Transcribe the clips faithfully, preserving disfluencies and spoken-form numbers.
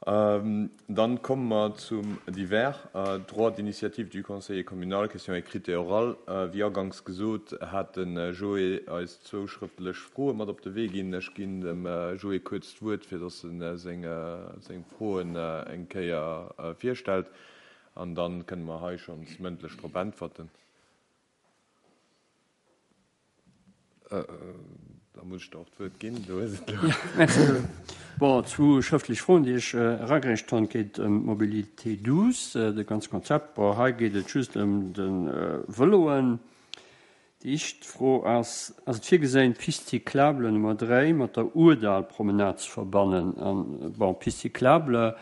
Dann komme mer zum Divers. Droit d'initiative du Conseiller communal, Question écrite et orale. Wéi aganks gesot, hat de Joé eis zwou schrëftlech Froe mat op de Wee ginn. Ech ginn dem Joé kuerz d'Wuert, fir dass e seng Froen eng Kéier virstellt, an da kënne mer hei schonns mëndlech drop äntwerten. Da muss ech der och d'Wuert ginn. Du hues et elo. Merci. Bon, zwou schrëftlech Froen, déi ech eragereecht hunn. Et geet ëm d'Mobilité douce, de ganze Konzept. Bon, hei geet et just ëm de Vëloen. Déi éischt Fro ass, Ass et virgeséin, d'Piste cyclable Nummer dräi mat der Ourdallpromenade ze verbannen? An, bon, d'Piste cyclable,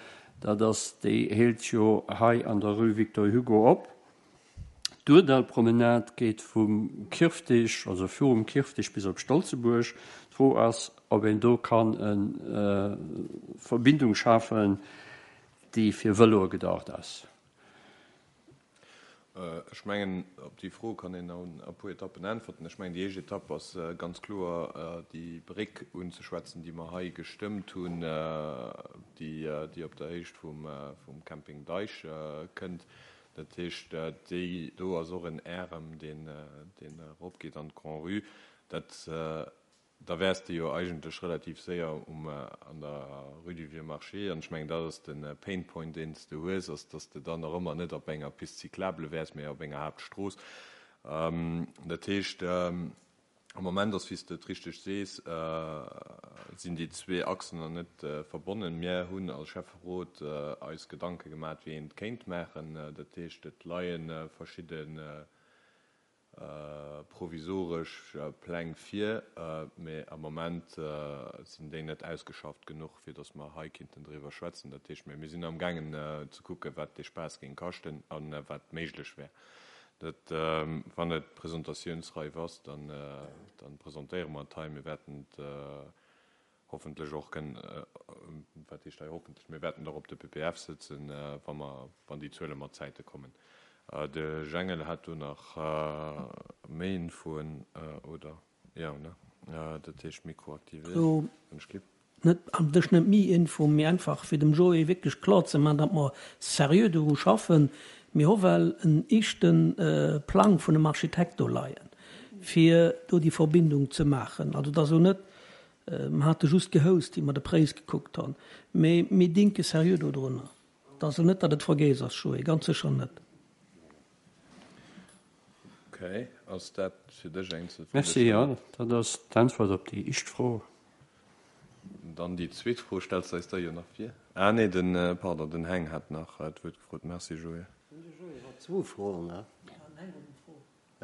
dat ass, déi hélt jo hei an der Rue Victor Hugo op. D'Ourdallpromenade geet vum Kirftig, also virum Kirftig bis op Stolzebuerg. D'Fro ass, ob een do kann e Verbindung schafen, déi fir Vëloe gedacht ass. Ech mengen, op déi Fro kann een an e puer Etappen äntwerten. Ech mengen, déi éischt Etapp ass ganz kloer déi Bréck unzeschwätzen, déi mer hei gestëmmt hunn, déi op der Héicht vum Camping Deich kënnt. Dat heescht, déi do ass och en Ärem, deen eropgeet an d'Grand-Rue. Dat, da wäers de jo eigentlech relativ séier um, an der Rue du Vieux Marché. An ech mengen, dat ass de Pain point, deen s de hues, ass, dass de dann nach ëmmer net op enger Piste cyclable wäers, mä op enger Haaptstrooss. Dat heescht, am Moment ass, wéi s de et richteg sees, sinn déi zwee Achsen nach net verbonnen. Mir hunn als Schäfferot eis Gedanke gemaat, wéi een et kéint maachen. Dat heescht, et leie verschidde provisoresch Pläng vir, mä am Moment sinn déi net ausgeschafft genuch, fir datt mer hei kinnten driwwer schwätzen. Dat heescht, mä mir sinn amgaangen ze kucken, wat dee Spaass géing kaschten a wat méiglech wär. Dat, wann et presentatiounsreif ass, dann, dann presentéiere mer et hei. Mir wäerten et hoffentlech och kënnen, wat heescht hei hoffentlech, mir wäerten et och op de P P F sëtzen, wa mer, wann déi Zuele mat Zäite kommen. De Jengel hat do nach méi Infoen, oder? Jo, ne? Dat heescht Mikro aktivéieren. Net an dech net méi Info, mee einfach fir dem Joé wierklech kloer ze maachen, datt mer seriö doru schaffen. Mir hu well en éischte Plang vun dem Architekt do leien, fir do déi Verbindung ze maachen. Also et ass elo net, mer hate just gehoust, wéi mer de Préis gekuckt hunn, mee mir dinke seriö dodrunner. Et ass elo net, datt et vergiess ass, Joé, ganz sécher net. Okay, ass dat fir dech eng zefriddestellend? Merci, jo, dat ass d'Äntwert op déi éischt Fro. Dann déi zweet Fro stells de eis da jo nach vir. Ah nee, den, pardon, den Heng hat nach d'Wuert gefrot. Merci, Joé. De Joé hat zwou Froen, ne?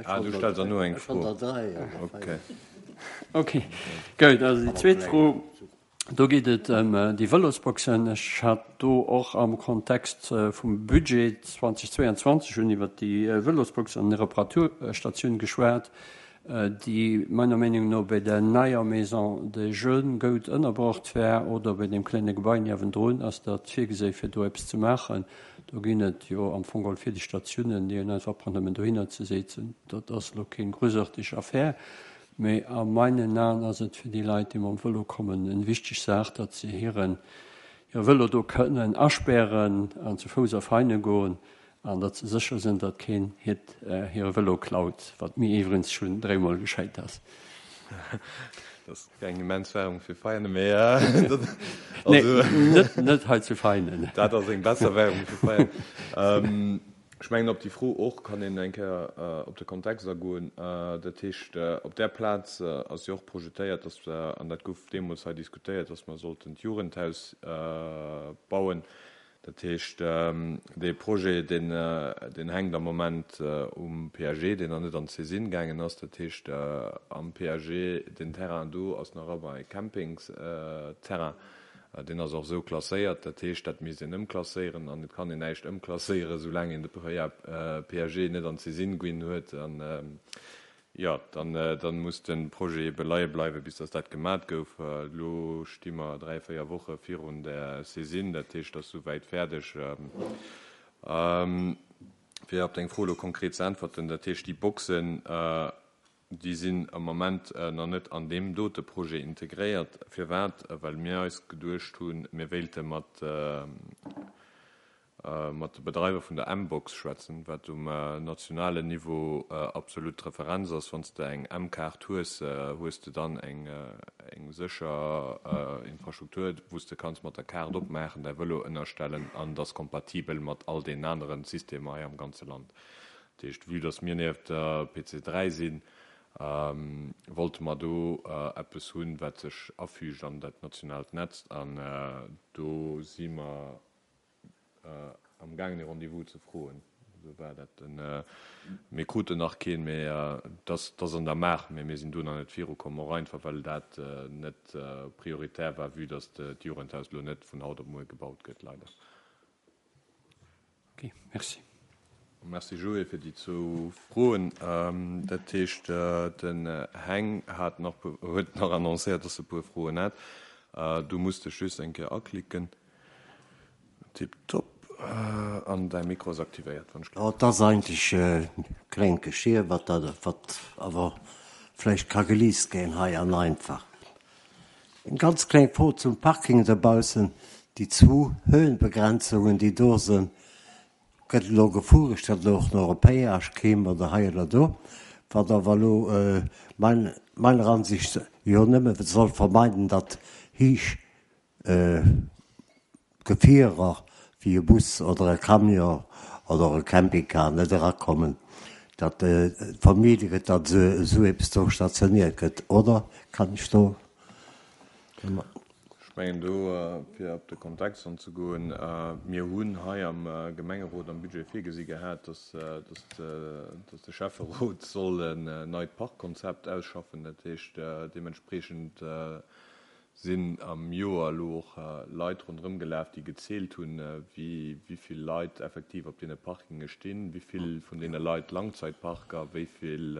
Ah, du stells der no eng Fro. Ech hat der dräi oder véier. Okay, gutt. Also déi zweet Fro, do geet et ëm déi Vëlosboxen. Ech hat do och am Kontext vum Budget zweitausendzweiundzwanzeg hunn iwwert déi Vëlosbox an Reparaturstatioun geschwat, déi meiner Meenung no bei der neier Maison des Jeunes goud ënnerbrocht wär oder bei deem klenge Gebai niewendrun. Ass dat virgesé fir do eppes ze maachen? Do ginn et jo am Fong geholl vill Statiounen, déi een einfach brauch nëmmen dohinner ze setzen. Dat ass elo keng grousartig Affär, mee a meinen Aen ass et fir déi Leit, déi mam Vëlo kommen, eng wichteg Saach, datt se hiren hire Vëlo do kënnen aspären an zu Fouss a Veine goen. An datt se sécher sinn, datt keen hiert hire Vëlo klaut, wat mir iwwregens schonn dréimol geschéit ass. Dat ass keng immens Werbung fir Veianen, mee Nee, net, net hei zu Veianen. Dat ass eng besser Werbung fir Veianen. Ech mengen, op déi Fro och kann een eng Kéier op de Kontext agoen. Dat heescht, op där Plaz ass jo och projetéiert, datt, an dat gouf deemools hei diskutéiert, datt mer sollten d'Jugendhaus bauen. Dat heescht, dee Projet, deen, deen hänkt am Moment um P A G, deen nach net an d'Saisine gaangen ass. Dat heescht, am P A G, deen Terrain do ass nach ëmmer e Campingsterrain. Deen ass och esou klasséiert. Dat heescht, dat misst een ëmklasséieren an et kann een näischt ëmklasséieren, soulaang een de P A G net an d'Saisine ginn huet. An jo, dann, dann muss de Projet ebe leie bleiwen, bis dass dat gemat gouf. Elo sti mer dräi, véier Woche virun der Saisine, dat heescht, dat ass souwäit fäerdeg. Fir op deng Fro elo konkret ze äntwerten, dat heescht, déi Boxen Déi sinn am Moment nach net an deem dote Projet integréiert. Firwat? Well mir eis geduecht hunn, mir wéilte mat mat de Bedreiwer vun der mBox schwätzen, wat um nationalen Niveau absolut d'Referenz ass. Wann s de eng mKaart hues, hues de dann eng eng sécher Infrastruktur, wou s de kanns mat der Kaart opmaachen, däi Vëlo ënnerstellen an et ass kompatibel mat all deenen anere Systemer hei am ganze Land. Dat heescht, vue dass mir nieft der P C dräi sinn, wollte mer do eppes hunn, wat sech afügt an dat nationaalt Netz. An do si mer amgaangen, ee Rendez-vous ze froen. Esou war dat. Mir kruten nach keen, mee et ass an der Maach. Mee mir sinn do nach net virukomm, och einfach well dat net prioritär war, vue dass d'Jugendhaus elo net vun haut op muer gebaut gëtt, leider. Ok, merci. Merci Joé fir déi zwou Froen. Dat heescht, den Heng hat nach, huet nach annoncéiert, dass e puer Froen hätt. Du muss dech just eng Kéier aklicken. Tiptop. An däi Mikro ass aktivéiert, wann ech. Jo, et ass eigentlech e klengt Geschier, wat dat, wat awer vläicht ka geliist ginn hei an einfach. Eng ganz kleng Fro zum Parking dobaussen. Déi zwou Höhenbegrenzungen, déi do sinn, gëtt elo gefueregt, datt elo och nach e Péage kéim oder hei oder do, wat awer elo mein, meiner Ansicht jo nëmme soll vermeiden, datt héich Gefierer wéi e Bus oder e Camion oder e Campingcar net erakommen, datt vermide gëtt, datt esou eppes do stationiert gëtt, oder kann ech do? Ech mengen do, fir op de Kontext anzegoen, mir hunn hei am Gemengerot am Budget virgesi gehat, datt de Schäfferot soll en neit Parkkonzept ausschaffen. Dat heescht, deementspreechend sinn am Joer elo och Leit ronderëm gelaf, déi gezielt hunn, wéi vill Leit effektiv op deene Parkinge stinn, wéi vill vun deene Leit Langzeitparker, wéi vill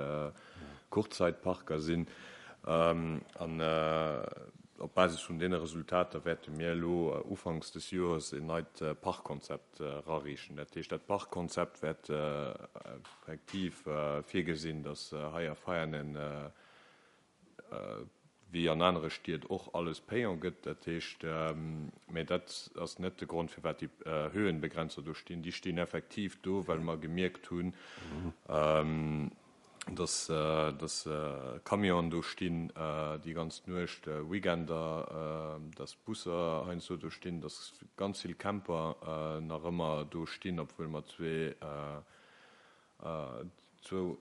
Kurzzeitparker sinn. An op Basis vun deene Resultater wäerte mir elo ufanks des Joers en neit Parkkonzept erareechen. Dat heescht, dat Parkkonzept wäert effektiv virgesinn, datt hei a Veianen, wéi an anere Stied och, alles payant gëtt. Dat heescht, mä dat ass net de Grond, firwat déi Höhenbegrenzer do stinn. Déi stinn effektiv do, well mer gemierkt hunn, dass dass Camionen do stinn déi ganz Nuecht, Weekender, dass Busser heiansdo do stinn, dass ganz vill Camper nach ëmmer do stinn, obwuel mer zwee zwou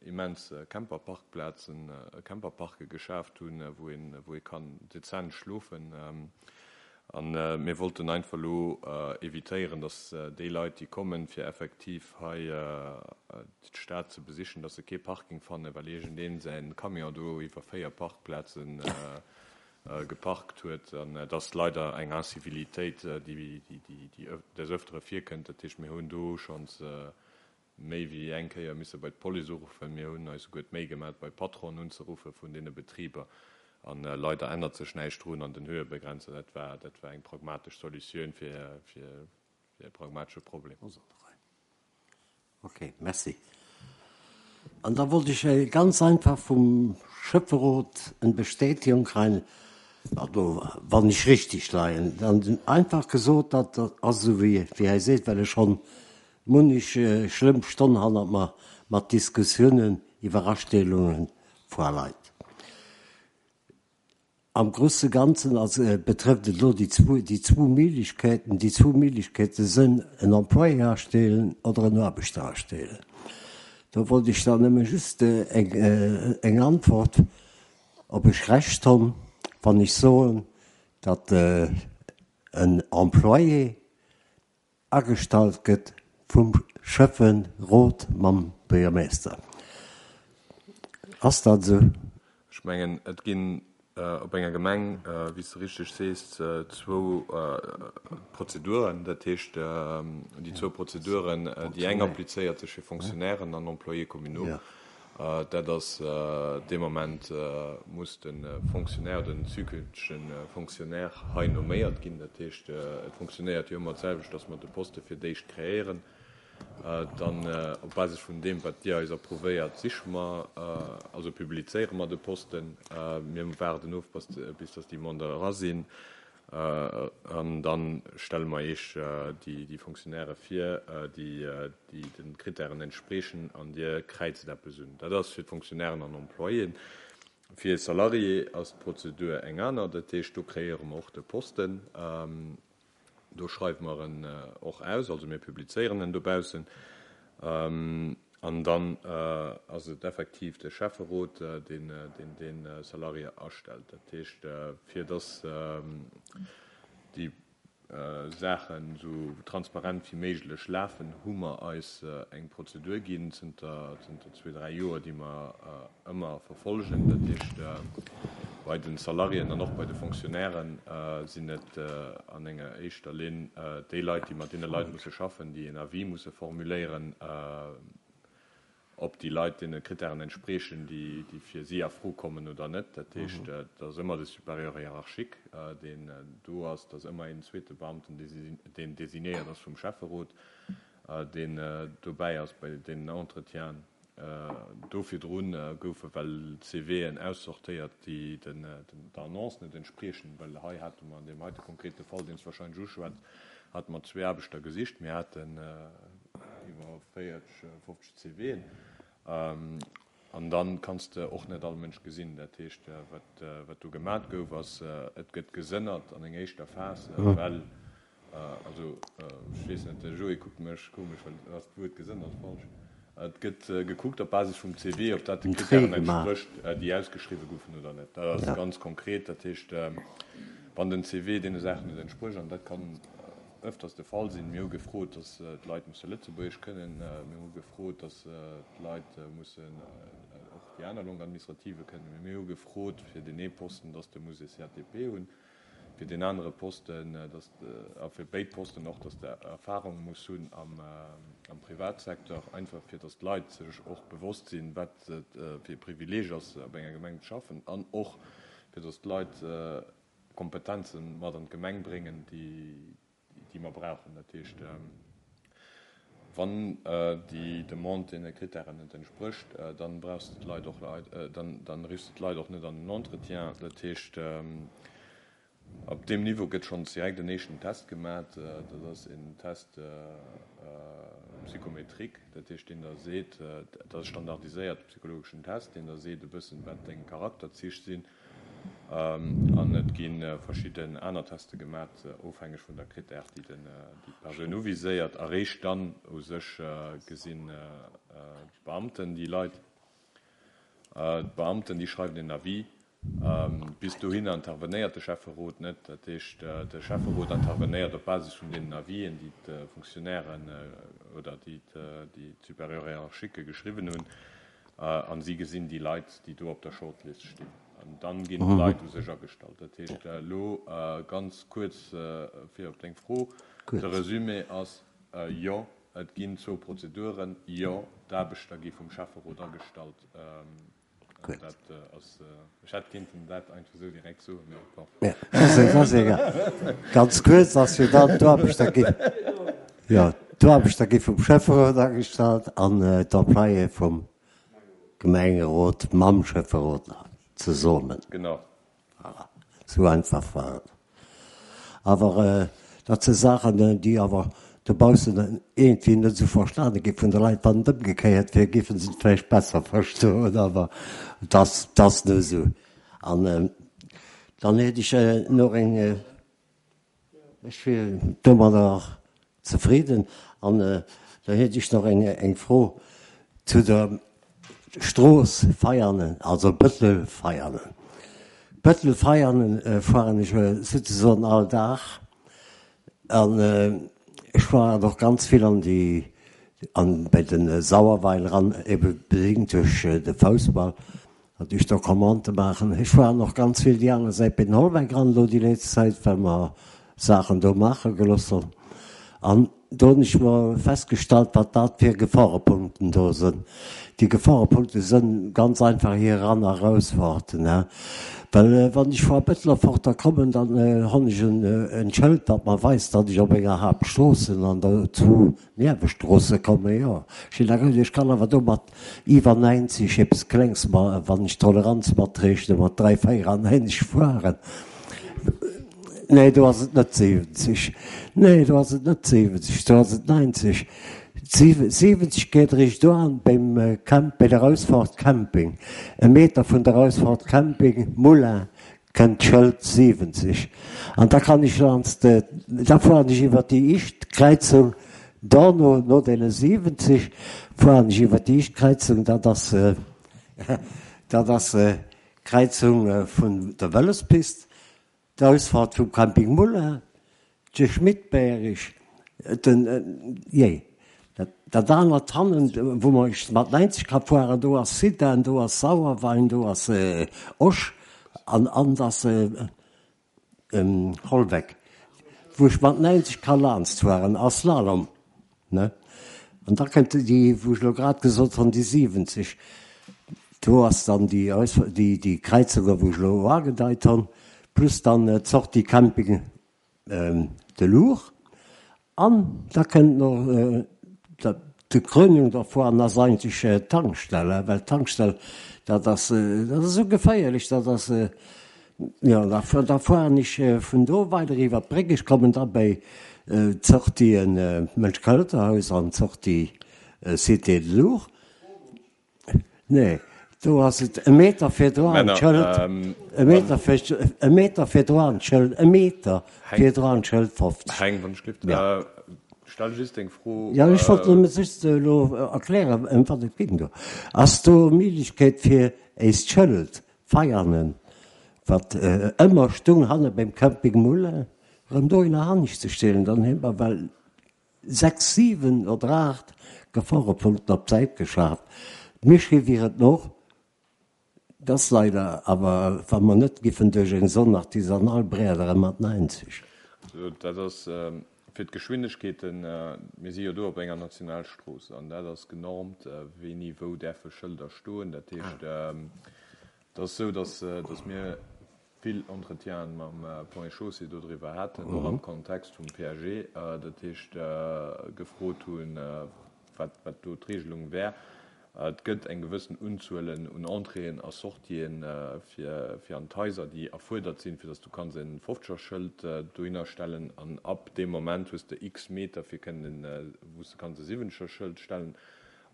immens Camperparkplazen, Camperparke geschaaft hunn, wou een wou ee kann dezent schlofen. A mir wollten einfach elo evitéieren, dass déi Leit, déi kommen, fir effektiv hei d'Stad ze besichen, dass se kee Parking fannen, well iergendeen säin Camion do iwwer véier Parkplaze geparkt huet. An et ass leider eng Incivilitéit, déi des Ëftere virkënnt. Dat heescht, mir hunn do schonns méi wéi eng Kéier misse bei d'Police uruffen. Mir hunn eis souguer d'Méi gemaach, bei d'Patronen unzeruffe vun deene Betriber. An leider ännert sech näischt drun an den Höhebegrenzer. Dat war, dat war eng pragmatesch Solutioun fir, fir, fir e pragmatesche Problem. Ok, merci. An da wollt ech ganz einfach vum Schäfferot eng Bestätigung kréien, also wann ech richtig leien, dann einfach gesot, datt dat ass esou wéi wéi hei seet, well ech schonn munnech schlëmm Stonn hannert mer mat Diskussiounen iwwer Astellungen vor Leit. Am grousse Ganzen also betrëfft et elo déi zwou, déi zwou Méiglechkeeten. Déi zwou Méiglechkeete sënn en Employé astellen oder en Aarbechter astellen. Do wollt ech dann nëmme just eng, eng Antwort, ob ech Recht hunn, wann ech soen, datt en Employé agestallt gëtt vum Schäfferot mam Buergermeeschter. Ass dat esou? Ech mengen, et ginn op enger Gemeng, wéi s de richteg sees, zwou Prozeduren. Dat heescht, déi zwou Prozeduren, déi eng applizéiert sech fir Fonctionnairen an Employés communaux. Dat ass dee Moment muss de Fonctionnaire, den zukünftege Fonctionnaire hei nomméiert ginn. Dat heescht, et funktionéiert jo ëmmer d'selwecht, dass mer de Poste fir d'éischt kreéieren. Dann op Basis vun deem, wat Dir eis approuvéiert, siche mer, also publizéiere mer de Posten. Mir waarden of, bis dass déi Demanden era sinn. An da stelle mer Iech déi Fonctionnairë vir, déi de Krittären entspriechen, an Dir kräizt eppes un. Dat ass fir d'Fonctionnairen an Employéen. Fir e Salarié ass d'Prozedur eng aner. Dat heescht, do kreéiere mer och de Posten. Do schreiwe mer en och aus, also mir publizéieren en dobaussen. An dann ass et effektiv de Schäfferot, deen dee Salarié astellt. Dat heescht, fir dass déi Saachen esou transparent wéi méiglech lafen, hu mer eis eng Prozedur ginn zënter zwee, dräi Joer, déi mer ëmmer verfolgen. Dat heescht, bei de Salariéen an och bei de Fonctionnairen sinn et an enger éischter Linn déi Leit, déi mat deene Leit musse schaffen, déi en Avis musse formuléieren, ob déi Leit deene Krittären entspriechen, déi fir si a Fro kommen oder net. Dat heescht, et ass ëmmer de Supérieur hiérarchique, deen do ass. Et ass ëmmer een zweete Beamten, deen designéiert ass vum Schäfferot, deen dobäi ass bei deenen Entretienen. Do virdru goufe well CVen aussortéiert, déi der Annonce net entspriechen, well hei hate mer an deem heite konkrete Fall, deen s de wahrscheinlech uschwätz, hate mer zwee Aarbechter gesicht. Mir haten iwwer véierzeg, fofzeg CVen. An da kanns de och net all Mënsch gesinn. Dat heescht, wat, wat do gemat gouf, ass, et gëtt gesënnert an enger éischter Phas, well, also ech weess net, de Joé kuckt mech komesch, well ass d'Wuert gesënnert falsch? Et gëtt gekuckt op Basis vum C V, ob dat de Krittären entsprécht, déi ausgeschriwwe goufen oder net. Dat ass ganz konkret. Dat heescht, wann den C V deene Saachen net entsprécht, an dat kann ëfters de Fall sinn, mir hu gefrot, datt d'Leit musse Lëtzebuergesch kënnen, mir hu gefrot, datt d'Leit mussen och déi aner Langue administrative kënnen, mee mir hu gefrot fir deen ee Posten, datt de muss e C A T P hunn, fir deen anere Posten, datt, a fir béid Posten och, datt de Erfahrung muss hunn am am Privatsecteur, einfach fir datt d'Leit sech och bewosst sinn, wat et fir e Privileeg ass, op enger Gemeng ze schaffen, an och fir datt d'Leit Kompetenze mat an d'Gemeng bréngen, déi déi mer brauchen. Dat heescht, wann déi Demande deene Krittären net entsprécht, dann brauchs de d'Leit och, dann dann riffs de d'Leit och net an den Entretien. Dat heescht, op deem Niveau gëtt schonns direkt en éischten Test gemat. Dat ass en Test psychométrique, dat heescht, deen der seet, dat ass e standardiséierte psychologeschen Test, deen der seet e bëssen, wat deng Charakterzich sinn. An et gi verschidden aner Teste gemat, ofhängeg vun der Krittär, déi d'Persoun uviséiert. Eréischt dann u sech gesinn d'Beamten déi Leit. D'Beamten, déi schreiwen een Avis. Bis dohinner intervenéiert de Schäfferot net. Dat heescht, de Schäfferot intervenéiert op Basis vun deenen Avisen, déi d'Fonctionnairen oder déi d'Supérieurs hiérarchiques geschriwwen hunn. A si gesinn déi Leit, déi do op der Shortlist stinn. An dann ginn d'Leit u sech agestallt. Dat heescht, elo ganz kuerz fir op deng Fro, de Resumé ass, Jo, et ginn zwou Prozeduren. Jo, d'Aarbechter gi vum Schäfferot agestallt. Dat ass, ech hätt kinnten dat einfach esou direkt soen, mee bon. Dat ass egal. Ganz kuerz ass jo dann, d'Aarbechter gi, jo, d'Aarbechter gi vum Schäfferot agestallt an d'Employéë vum Gemengerot mam Schäfferot zesummen. Genau. Voilà, sou einfach war et. Awer dat si Saachen, déi awer dobaussen iergendwéi net esou verstane gi vun de Leit. Wann et ëmgekéiert wier, géife se et vläicht besser verstoen, awer et ass, et ass nu esou. An dann hätt ech nach eng. Ech wier domadder zefridden. An da hätt ech nach eng Fro zu der Strooss Veianen, also Bëttel-Veianen. Bëttel-Veianen fueren ech souzesoen all Dag. An ech fueren och ganz vill an déi, an bei de Sauerweil eran, ebe bedéngt duerch de Foussball. Datt ech do Commandë maachen. Ech waren och ganz vill déi aner Säit bei den Holweck eran elo déi létzt Zäit, well mer Saachen do maache gelooss hunn. An do hunn ech mer festgestallt, wat dat fir Geforepunkten do sënn. Déi Geforepunkte sënn ganz einfach hir Eran a Erausfahrten, he. Well wann ech vu Bëtlerfort da kommen, dann honn ech en en Schëld, dat mer weist, datt ech op enger Haaptstrooss sinn an der zu Niewestroosse kommen. Jo, ech sinn da gewinnt. Ech kann awer do mat iwwer näinzeg eppes Klengs, ma wann ech d'Toleranz matreechnen, mat dräi, véierannäinzeg fueren. Nee, do ass et net siwwenzeg. Nee, do ass et net siwwenzeg, do ass et neunzeg. Siwwenzeg geet eréischt do an beim Camp, bei der Ausfahrt Camping. E Meter vun der Ausfahrt Camping Moulin kënnt d'Schëld siwwenzeg. An da kann ech laanscht, da fueren ech iwwer déi ischt Kräizung, dono, no deene siwwenzeg, fueren ech iwwer déi ischt Kräizung, dat ass, dat ass d'Kräizung vun der Vëlospist. D'Ausfahrt vum Camping Muller, de Schmidberg, den, jee, dat anert hannen, wou mer mat neunzeg ka fueren, do ass Sidan, do ass Sauerwein, do ass Osch an an ass Holweck, wou ech mat neunzeg ka laanscht fueren a Slalom, ne? An da kënnt déi, wou ech elo grad gesot hunn, déi siwwenzeg. Do ass dann déi, déi Kräizunge wou ech elo agedeit hunn, plus dann d'Sortie Camping de Lourdes. An da kënnt nach d'Krönung dervun ass eigentlech d'Tankstell, well d'Tankstell, dat ass, dat ass esou geféierlech, dat ass, jo, da da fueren ech vun do weider iwwer d'Bréck, ech kommen da bei d'Sortie Mënsch-Költerhaus an d'Sortie Cité de Lourdes. Nee, do ass et e Meter virdru an d'Schëld, e Meter vir, e Meter virdru an d'Schëld, e Meter virdru an d'Schëld fofzeg. Heng, wann ech gelift, Ja. Stell just deng Fro. Ja, ech wollt nëmme just elo erklären, ëm wat et ging do. Ass do Méiglechkeet fir éist Schëld, Veianen, wat ëmmer stung hanne beim Camping Moulin, erëm dohinner hannescht ze stellen? Dann hu mer well sechs, siwen oder aacht Geforepunkten op d'Säit geschaf. D'Mischii wier et och, dass leider awer, wa mer net giffen duerch eng Zone artisanale brädere mat neunzeg. Also dat ass fir d'Geschwindegkeeten, mir si jo do op enger Nationalstrooss an dat ass genormt, wéini wou däerfe Schëlder stoen. Dat heescht, et ass esou, dass, dass mir vill Entretienen mam Ponts et Chaussées dodriwwer haten, och am Kontext vum P A G, dat heescht gefrot hunn, wat, wat do d'Regelung wär. Et gëtt eng gewëssen Unzuelen un Entréeën a Sortien fir, fir an d'Haiser, déi erfuerdert sinn, fir dass du kanns e Fofzegerschëld dohinner stellen. An ab deem Moment hues de x Meter fir kënnen, wou s de kanns e Siwwenzegerschëld stellen.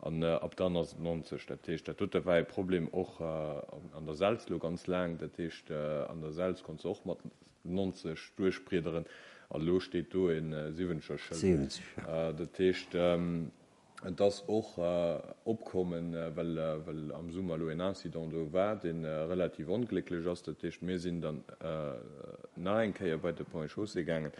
An ab dann ass et neunzeg. Dat heescht, dat dote war e Problem och an der Selz elo ganz laang. Dat heescht, an der Selz konns de och mat neunzeg duerchbriederen. An elo steet do e Siwwenzegerschëld. Dat heescht, et ass och opkommen, well, well am Summer elo en Incident do war, dee relativ onglécklech ass. Dat heescht, mir sinn dann nach eng Kéier bei de Ponts et Chaussées gaangen,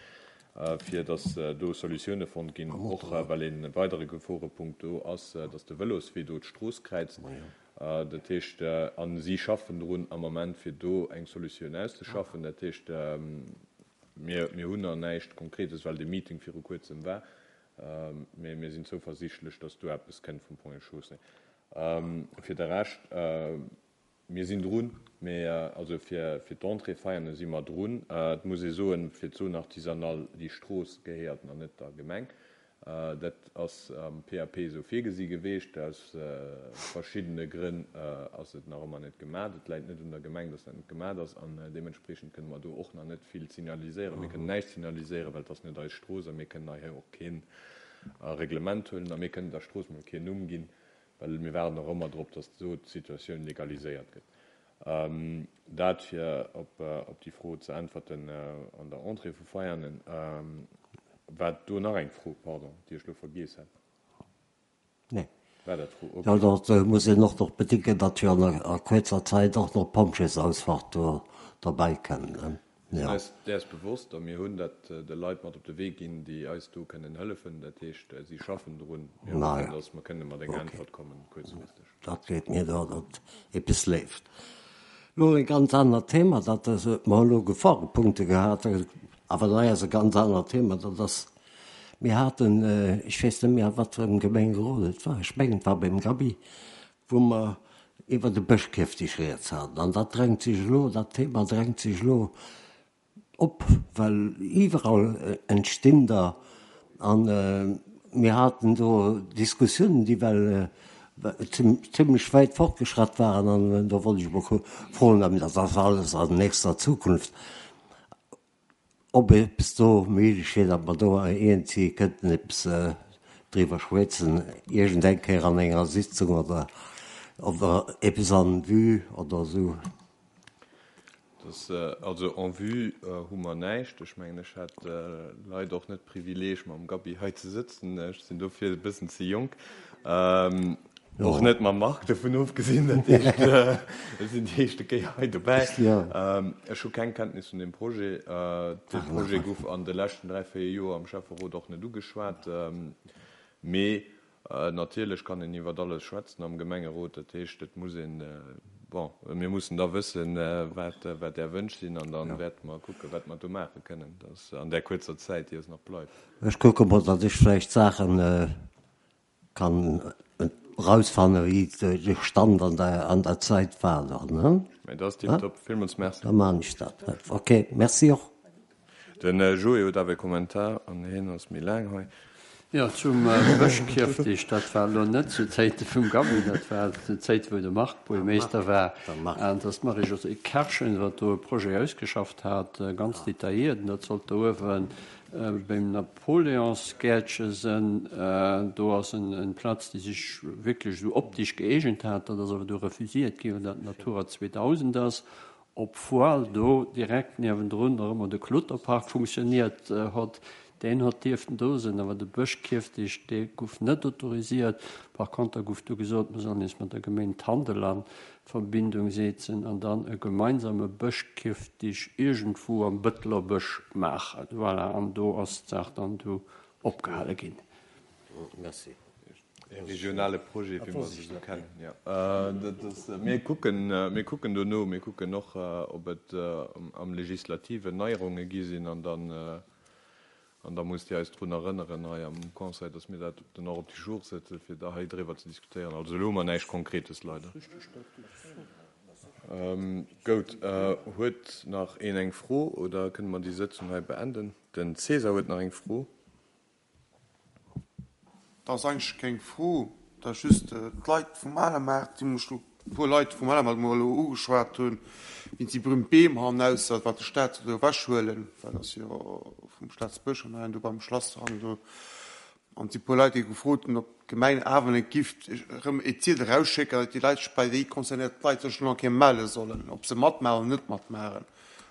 fir datt do Solutioune fonnt ginn, och well e weidere Geforepunkt do ass, datt de Vëloswee do d'Strooss kräizt. Dat heescht, a si schaffen drun am Ament, fir do eng Solutioun auszeschaffen. Dat heescht, mir, mir hunn nach näischt Konkretes, well dee Meeting viru Kuerzem war, mee mir sinn zouversiichtlech, datt do eppes kënnt vum Ponts et Chaussées. Fir de Rescht, mir sinn drun, mee also fir, fir d'Entrée Veianen si mer drun. Et muss ee soen, fir d'Zone artisanale, déi Strooss gehéiert nach net der Gemeng. Dat ass am P A P esou virgesi geweecht. Aus verschiddene Grënn ass et nach ëmmer net gemaach. Et läit net un der Gemeng, datt dat net gemaach ass. An deementspreechend kënne mer do och nach net vill signaliséieren. Mir kënnen näischt signaliséieren, well et ass net eis Strooss a mir kënnen hei och keen Reglement huelen a mir kënnen der Strooss mol keen Numm ginn, well mir waarden och ëmmer drop, datt do d'Situatioun legaliséiert gëtt. Dat fir op, op déi Fro ze äntwerten an der Entrée vu Veianen. War do nach eng Fro, pardon, déi ech elo vergiess hat? Nee. War dat d'Fro? Okay. Jo, da muss een och nach bedenken, datt jo an a kuerzer Zäit och nach d'Pompjeesausfahrt do derbäi kënn, ne? Mir sinn eis däers bewosst a mir hunn dat de Leit mat op de Wee ginn, déi eis do kënnen hëllefen. Dat heescht, si schaffen drun. Mir hoffen, datt mer kënne mat enger Äntwert kommen, kuerzfristeg. Dat geet mir do, datt eppes leeft. Elo e ganz anert Thema, dat ass, mer hu elo Geforepunkte gehat, awer dat ass e ganz anert Thema, dat ass, Mir haten, ech weess net méi a wat fir engem Gemengerot et war, ech mengen et war beim Gaby, wou mer iwwer de Bëschkierftig rieds haten. An dat drängt sech elo, dat Thema drängt sech elo op, well iwwerall entstinn der. An mir haten do Diskussiounen, déi well zimlech wäit fortgeschratt waren. An do wollt ech emol froen, mä dat ass alles an nächster Zukunft, ob eppes do méiglech wier, datt mer do iergendwéi kënnten eppes driwwer schwätzen, iergendeng Kéier an enger Sitzung oder oder eppes en vue oder esou. Dass, also en vue hu mer näischt. Ech mengen, ech hat leider och net d'Privileeg, mam Gaby hei ze sëtzen. Ech sinn dofir e bëssen ze jonk. Och net mam Marc, dovun ofgesinn. Dat heescht, ech sinn déi éischte Kéier hei dobäi. Ech hu keng Kenntnis vun deem Projet. Dee Projet gouf an de leschten dräi, véier Joer am Schäfferot och net ugeschwat. Mee Natierlech kann een iwwert alles schwätzen am Gemengerot. Dat heescht, et muss een, bon, mir mussen da wëssen, wat, wat Är Wënsch sinn, an da wäerte mer kucken, wat mer do maache kënnen, dass an där kuerzer Zäit, déi eis nach bleift. Ech kucke mol, datt ech vläicht Saache kann erausfannen, wéi de Stand an der, an der Zäit war dann, ne? Mä dat ass tiptop. Villmools Merci. Da maachen ech dat. Okay, merci och. Den Joé huet awer e Kommentar, an hien ass méi laang hei. Jo, zum Bëschkierftig, dat war elo net zu Zäite vum Gaby, dat war zu Zäite wou de Marc Buergermeeschter war, an dass d'Marie-Josée Kerschen, wat do e Projet ausgeschafft hat, ganz detailliert, an dat sollt do uewe beim Napoleonsgäertche sënn, do ass en Platz, déi sech wierklech esou optisch gëeegent hat, dat ass awer du refusiert ginn, well dat Natura zweedausend ass. Obwuel do direkt niewendrun nach ëmmer de Kloterpark funktioniert hott, deen hott dierften do sinn, awer de Bëschkierftig, dee guff net autorisiert. Par konter guff du gesot, mir sollen eis mat der Geméin Tandel an Verbindung seetzen an dann e gemeinsame Bëschkierftig iergendwou am Bëtteler Bësch maachen. Voilà, an do ass d'Saach dann du opgehale ginn. Merci. E regionale Projet, wéi mer se esou kennen, jo. Dat ass, mir kucken, mir kucken dono, mir kucken och, ob et am Legislativen Neierunge gi sinn an dann, an da musst Dir eis drun erënneren hei am Conseil, dass mir dat dann och op du jour setzen, fir da hei driwwer ze diskutéieren. Also elo hu mer näischt Konkretes, leider. Gout. Huet nach een eng Fro oder kënne mer déi Sëtzung hei beenden? Den César huet nach eng Fro. Dat ass eigentlech keng Fro, dat ass just d'Leit vum Alermaart, déi mech elo, e puer Leit vum Alermaart, déi mech elo ugeschwat hunn, wéinst déi berühmt Beem hannausser, wat de Staat soll do ewechhuelen, well dat ass jo vum Staatsbësch an do beim Schlasshang do. An et si puer Leit, déi gefrot hunn, ob d'Gemeng awer net giff erëm e Ziedel erausschécken, datt déi Leit sech bei déi concernéiert Leit sech elo eng Kéier melle sollen, ob se matmaachen oder net matmaachen,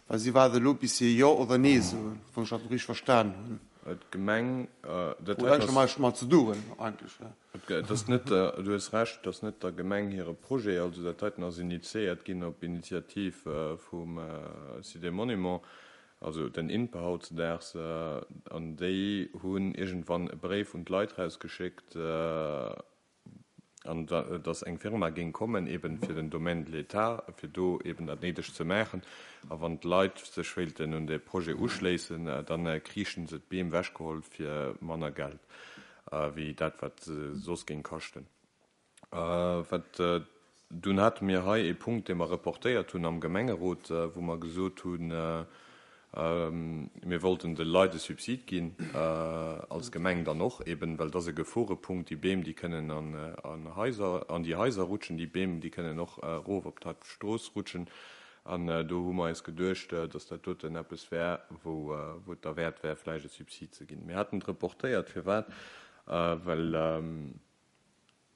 well si waarde elo bis si Jo oder Nee soen, wann ech dat elo richteg verstan hunn. D'Gemeng, dat Huet eigentlech näischt domat ze doen, eigentlech. Et ass net der, du hues Recht, et ass net der Gemeng hire Projet. Also dat heiten ass initiéiert ginn op Initiativ vum Site des Monuments, also den INPE hautzedaags. An déi hunn iergendwann e Bréif un d'Leit rausgeschéckt, an dass eng Firma géing kommen, eben fir den Domaine de l'État, fir do eben dat Néidegt ze maachen. A wann d'Leit sech wéilten un dee Projet uschléissen, da kriichen se d'Beem wechgeholl fir manner Geld wéi dat, wat se soss géing kaschten. Wat dunn hate mir hei ee Punkt, dee mer reportéiert hunn am Gemengerot, wou mer gesot hunn, Mir wollten de Leit e Subsid ginn, als Gemeng dann och eben, well et ass e Geforepunkt. Déi Beem, déi kënnen an Haiser, an déi Haiser rutschen, déi Beem, déi kënnen och erof op d'Strooss rutschen. An do hu mer eis geduecht, dass dat doten eppes wär, wou et derwäert wär, vläicht e Subsid ze ginn. Mir haten et reportéiert. Firwat? Well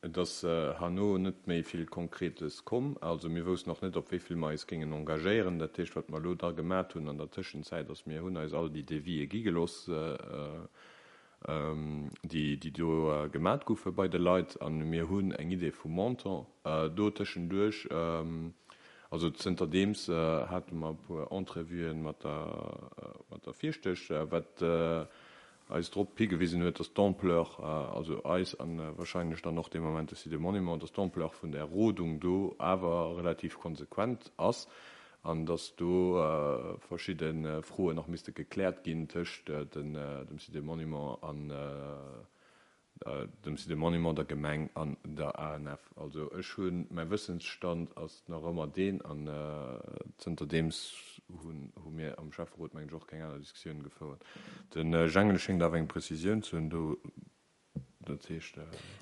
Et ass herno net méi vill Konkretes komm. Also mir woussten och net, op wéi vill mer eis géingen engagéieren. Dat heescht, wat mer elo da gemat hunn an der Tëschenzäit, ass, mir hunn eis all déi Devisë gi gelooss, déi, déi do gemat goufe bei de Leit. A mir hunn eng Idee vum Montant do tëschenduerch. Also zënterdeems hate mer e puer Entrevuen mat der, mat der Fierschtesch, wat eis drop higewisen huet, dass d'Ampleur, also eis a wahrscheinlech dann och dee Moment de Site des Monuments, dass d'Ampleur vun där Rodung do awer relativ konsequent ass. an dass do verschidde Froen nach misste gekläert ginn tëscht dem Site des Monuments an dem Site des Monuments, der Gemeng an der ANF. Also ech hunn, mäi Wëssensstand ass nach ëmmer deen, an zënterdeems hunn hu mir am Schäfferot, mengen ech, och keng aner Diskussioun gefouert. De Jengel schéngt awer eng Prezisioun ze hunn do. Dat heescht.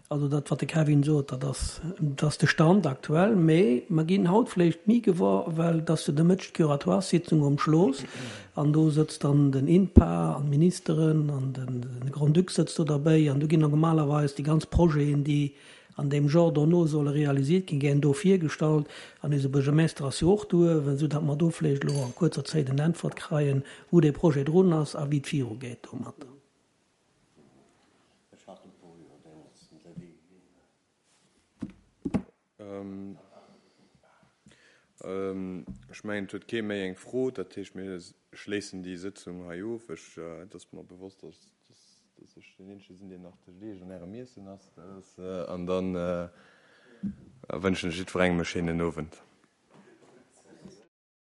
Also dat, wat de Kevin sot, dat ass, dat ass de Stand aktuell. Mä mer ginn haut vläicht méi gewuer, well et ass jo de Mëtteg d'Curatoiressitzung um Schloss an do sëtzt dann den INPA an d'Ministeren an de Grand-Duc sëtzt do derbäi an do ginn normalerweis déi ganz Projeten, déi an deem Genre dono solle realisiert ginn, gär do virgestallt. An eise Buergermeester ass jo och do uewen, esou datt mer do vläicht elo a kuerzer Zäit en Äntwert kreien, wou dee Projet drun ass a wéi et virugeet domatter. Ech hat e puer Joer deemools den Devis ginn. Ech mengen, et huet kee méi eng Fro. Dat heescht, mir schléissen déi Sëtzung hei of. Ech, et ass mer bewosst, dass, dass ech deen Eenzege sinn, deen nach tëscht Iech an Ärem Iessen ass. Dat ass, an dann wënschen ech jiddwerengem e schéinen Owend.